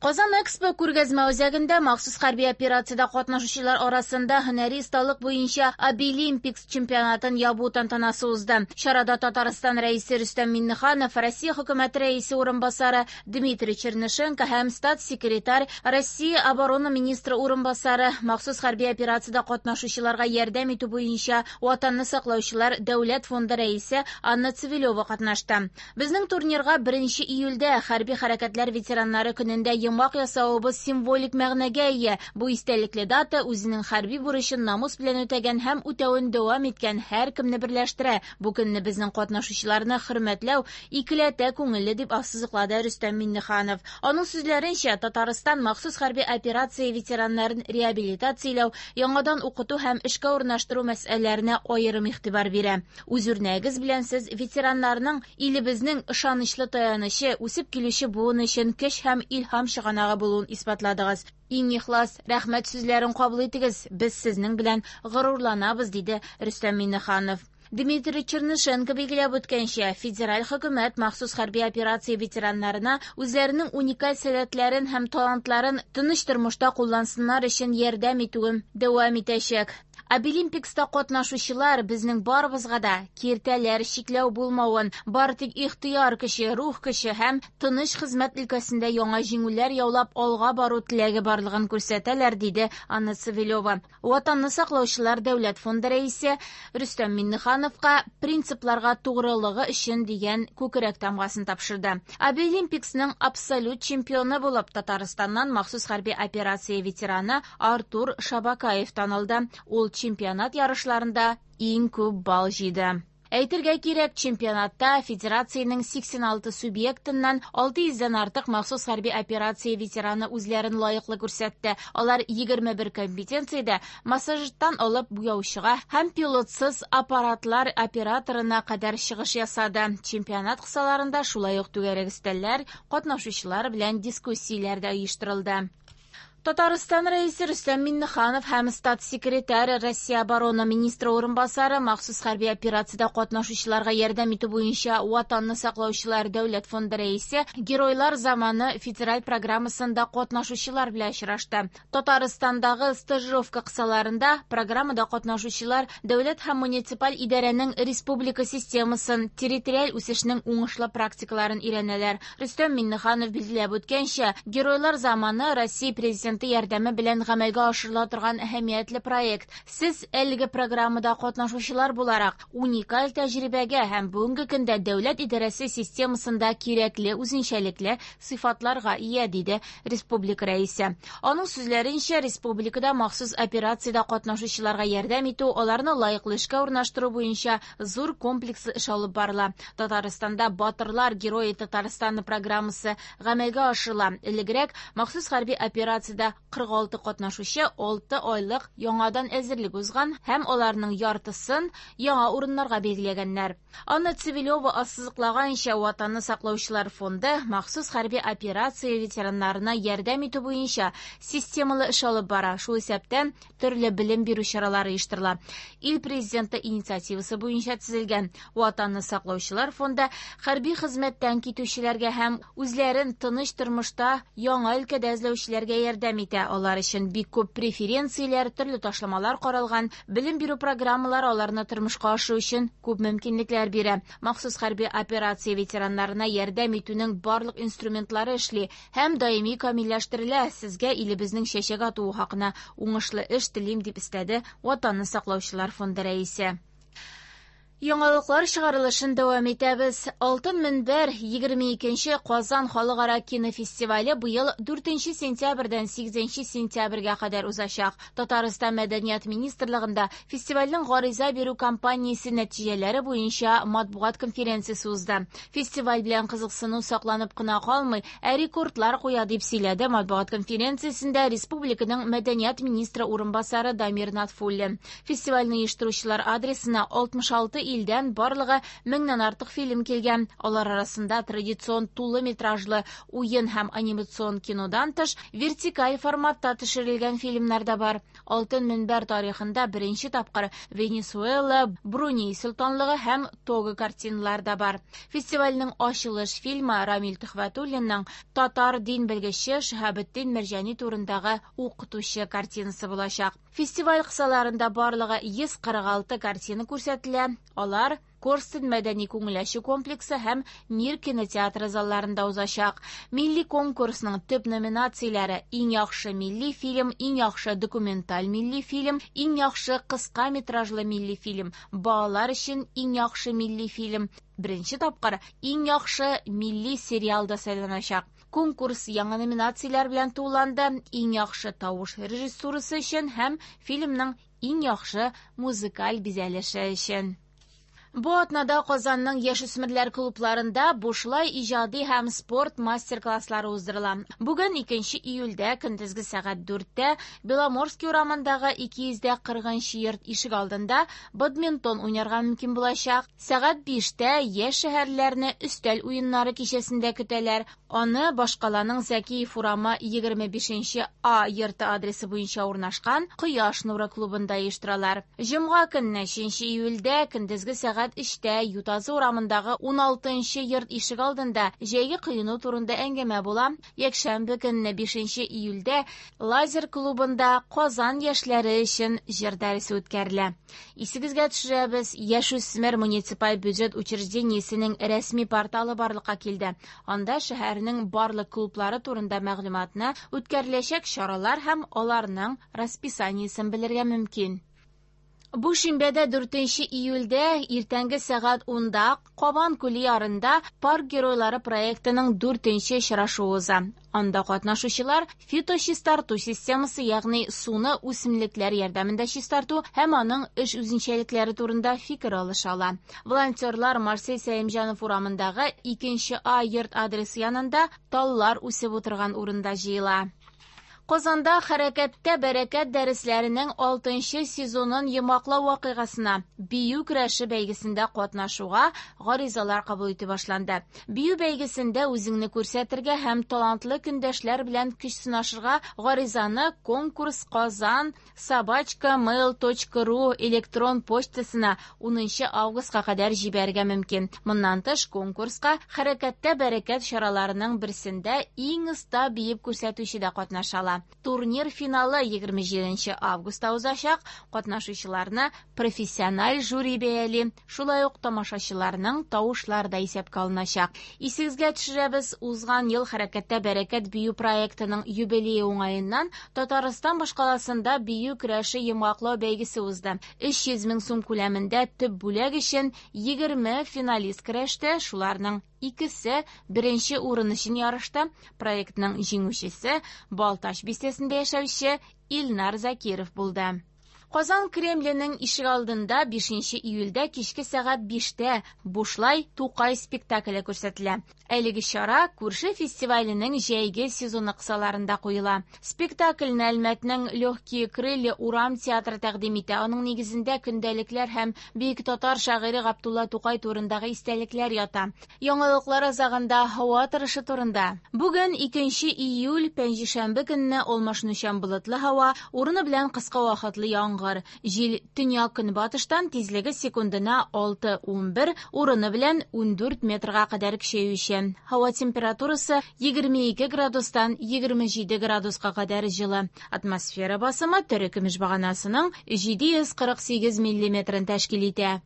Казан Экспо күргәзмә үзәгендә махсус хәрби операциядә катнашучылар арасында һөнәри осталык буенча Абилимпикс чемпионатын ябу тантанасы узды. Чарада Татарстан Рәисе Рөстәм Миңнеханов, Россия Хөкүмәте Рәисе урынбасары Дмитрий Чернышенко һәм статс-секретарь, Россия оборона министры урынбасары, махсус хәрби операциядә катнашучыларга ярдәм итү буенча Ватанны саклаучылар дәүләт фонды рәисе Анна Цивилева катнашты. Безнең турнирга 1 июльдә хәрби хәрәкәтләр ветераннары көнендә йомгак ясавыбыз символик мәгънәгә ия. Бу истәлекле дата үзенең хәрби бурычын намус белән үтәгән һәм үтәвен дәвам иткән һәркемне берләштерә. Бу көнне безнең катнашучыларны хөрмәтләү икеләтә күңелле, дип ассызыклады Рөстәм Миңнеханов. Аның сүзләренчә, Татарстан махсус хәрби операция ветераннарын реабилитацияләү, яңадан укыту һәм эшкә урнаштыру мәсьәләләренә аерым игътибар бирә. Үз үрнәгегез белән сез ветераннарның илебезнең ышанычлы таянычы, үсеп килүче буын өчен көч һәм илһам чыганагы булуын исбатладыгыз. Иң ихлас рәхмәт сүзләрен кабул итегез, без сезнең белән горурланабыз, диде Рөстәм Миңнеханов. Дмитрий Чернышенко билгеләп үткәнчә, федераль хөкүмәт махсус хәрби операция ветераннарына үзләренең уникаль сәләтләрен һәм талантларын тыныч тормышта куллансыннар өчен ярдәм итүен дәвам итәчәк. Абилимпикста катнашучылар безнең барыбызга да киртәләр, чикләү булмавын, бары тик ихтыяр көче, рух көче һәм тыныч хезмәт өлкәсендә яңа җиңүләр яулап алга бару теләге барлыгын күрсәтәләр, диде Анна Цивилева. Ватанны саклаучылар дәүләт фонды рәисе Рөстәм Миңнехановка принципларга тугрылыгы өчен дигән күкрәк тамгасын тапшырды. Абилимпиксның абсолют чемпионы булып Татарстаннан махсус хәрби операция ветераны Артур Шабакаев танылды. Ул чемпионат ярышларында иң күп балл җыйды. Әйтергә кирәк, чемпионатта федерациянең 86 субъектыннан 600 дән артык махсус хәрби операция ветераны үзләрен лаеклы күрсәтте. Алар 21 компетенциядә массажисттан алып буяучыга һәм пилотсыз аппаратлар операторына кадәр чыгыш ясады. Чемпионат кысаларында шулай ук түгәрәк өстәлләр, катнашучылар белән дискуссияләр дә оештырылды. Татарстан Рәисе Рөстәм Миңнеханов һәм статс-секретарь Россия оборона министры урынбасары махсус хәрби операциядә катнашучыларга ярдәм итү буенча Ватанны саклаучылар дәүләт фонды рәисе Геройлар заманы федераль программасында катнашучылар белән очрашты. Татарстандагы стажировка кысаларында программада катнашучылар дәүләт һәм муниципаль идарәнең республика системасын, территориаль үсешнең уңышлы практикаларын өйрәнәләр. Рөстәм Миңнеханов билгеләп үткәнчә, Геройлар заманы Россия Президенты ярдәме белән гамәлгә ашырыла торган әһәмиятле проект. Сез әлеге программада катнашучылар буларак уникаль тәҗрибәгә һәм бүгенге көндә дәүләт идарәсе системасында кирәкле үзенчәлекле сыйфатларга ия, диде республика рәисе. Аның сүзләренчә, республикада махсус операциядә катнашучыларга ярдәм итү, аларны лаеклы эшкә урнаштыру буенча зур комплекслы эш алып барыла. Татарстанда Батырлар герое Татарстана программасы гамәлгә ашырыла. Элегрәк махсус хәрби операциядә 46 катнашучы 6 айлык яңадан әзерлек узган һәм аларның яртысын яңа урыннарга билгеләгәннәр. Анна Цивилева ассызыклаганча, Ватанны саклаучылар фонды махсус хәрби операция ветераннарына ярдәм итү буенча системалы эш алып бара. Шул исәптән төрле белем бирү чаралары оештырыла. Ил президенты инициативасы буенча төзелгән Ватанны саклаучылар фонды хәрби хезмәттән китүчеләргә һәм үзләрен тыныч тормышта яңа өлкәдә эзләүчеләргә ярдәм итә. Алар өчен бик күп преференцияләр, төрле ташламалар каралган, белем бирү программалары аларны тормышка ашыру өчен күп мөмкинлекләр бирә. Махсус хәрби операция ветераннарына ярдәм итүнең барлык инструментлары эшли һәм даими камилләштерелә. Сезгә илебезнең чәчәк атуы хакына уңышлы эш телим, дип өстәде Ватанны саклаучылар фонды рәисе. Яңалыклар чыгарылышын дәвам итәбез. Алтын мөнбәр 22нче Казан халыкара кинофестивале быел 4 сентябрьдән 8 сентябрьгә кадәр узачак. Татарстан Мәдәният министрлыгында фестивальнең гариза бирү кампаниясе нәтиҗәләре буенча матбугат конференциясе узды. Фестиваль белән кызыксыну сакланып кына калмый, ә рекордлар куя, дип сөйләде матбугат конференциясендә республиканың мәдәният министры урынбасары Дамир Натфуллин. Фестивальне оештыручылар адресына 66 илдән барлыгы меңнән артык фильм килгән. Алар арасында традицион тулы метражлы уен һәм анимацион кинодан тыш, вертикаль форматта төшерелгән фильмнар да бар. Алтын мөнбәр тарихында беренче тапкыр Венесуэла, Бруней солтанлыгы һәм Того картиналары да бар. Фестивальнең ачылыш фильмы Рамил Төхвәтуллинның татар дин белгече Шиһабетдин Мәрҗани турындагы Укытучы картинасы булачак. Фестиваль кысаларында барлыгы 146 картина күрсәтелә. Алар Корстон мәдәни күңел ачу комплексы һәм Мир кинотеатры залларында узачак. Милли конкурсның төп номинацияләре: иң яхшы милли фильм, иң яхшы документаль милли фильм, иң яхшы кыска метражлы милли фильм, балалар өчен иң яхшы милли фильм. Беренче тапкыр иң яхшы милли сериал да сайланачак. Конкурс яңа номинацияләр белән тулыланды: иң яхшы тавыш режиссурасы өчен һәм фильмның иң яхшы музыкаль бизәлеше өчен. Бу атнада Казанның яшүсмерләр клубларында бушлай иҗади һәм спорт мастер-класслары уздырыла. Бүген 2 июльдә көндезге сәгать 4-тә Беломорский урамындагы 240 йорт ишек алдында бадминтон уйнарга мөмкин булачак. Сәгать 5-тә яшь шәһәрләрне өстәл уеннары кичәсендә көтәләр. Аны башкаланың Зәкиев урамы 25 А йорты адресы буенча урнашкан Кояш нуры клубында оештыралар. Җомга көнне 3 июльдә көндезге сәгать 3-тә Ютазы урамындагы 16 йорт ишек алдында җәйге коену турында әңгәмә була. Якшәмбе көнне 5 июльдә Лазер клубында Казан яшьләре өчен җыр дәресе үткәрелә. Исегезгә төшерәбез, Яшүсмер муниципаль бюджет учреждениесенең рәсми порталы барлыкка килде. Анда шәһәрнең барлык клублары турында мәгълүматны, үткәреләчәк чаралар һәм аларның расписаниесен белергә мөмкин. Бу шимбәдә 4 июльдә иртәнге сәгать 10-да Кабан күле ярында Парк геройлары проектының 4 очрашуы уза. Анда катнашучылар фиточистарту системасы, ягъни суны үсемлекләр ярдәмендә чистарту һәм аның эш үзенчәлекләре турында фикер алыша ала. Волонтерлар Марсель Сәлимҗанов урамындагы 2 А йорт адресы янында таллар үсеп утырган урында җыела. Казанда Хәрәкәттә бәрәкәт дәресләренең 6 сезонын йомгаклау вакыйгасына бию көрәше бәйгесендә катнашуга гаризалар кабул итү башланды. Бию бәйгесендә үзеңне күрсәтергә һәм талантлы көндәшләр белән көч сынашырга гаризаны конкурс казан собачка mail.ru электрон почтасына 10 августка кадәр җибәрергә мөмкин. Моннан тыш конкурска Хәрәкәттә бәрәкәт чараларының берсендә иң оста биеп күрсәтүче дә катнаша ала. Турнир финалы 27 августта узачак. Катнашучыларны профессиональ жюри бәяли. Шулай ук тамашачыларның тавышлары да исәпкә алыначак. Исегезгә төшерәбез, узган ел Хәрәкәттә бәрәкәт бию проектының юбилее уңаеннан Татарстан башкаласында бию көрәше йомгаклау бәйгесе узды. 300 мең сум күләмендә төп бүләк өчен 20 финалист көрәште, шуларның икесе беренче урын өчен ярышты. Проектның җиңүчесе Балтач бистәсендә яшәүче Илнар Закиров булды. Казан Кремленең ишегалдында 5 июльдә кичке сәгать 5-тә бушлай Тукай спектакле күрсәтелә. Әлеге чара күрше фестиваленең җәйге сезоны кысаларында куела. Спектакльне Әлмәтнең Легкие крылья урам театры тәкъдим итә. Аның нигезендә көндәлекләр һәм бөек татар шагыйре Габдулла Тукай турындагы истәлекләр ята. Яңалыклар азагында һава торышы турында. Бүген 2 июль пәнҗешәмбе көнне алмашынучан болытлы һава, урыны белән кыска вакытлы яңгыр. Җил төньяк-көнбатыштан тизлеге секундына 6-11, урыны белән 14 метрга кадәр көчәючән. Һава температурасы 22 градустан 27 градуска кадәр җылы. Атмосфера басымы терекөмеш баганасының 748 миллиметрын тәшкил итә.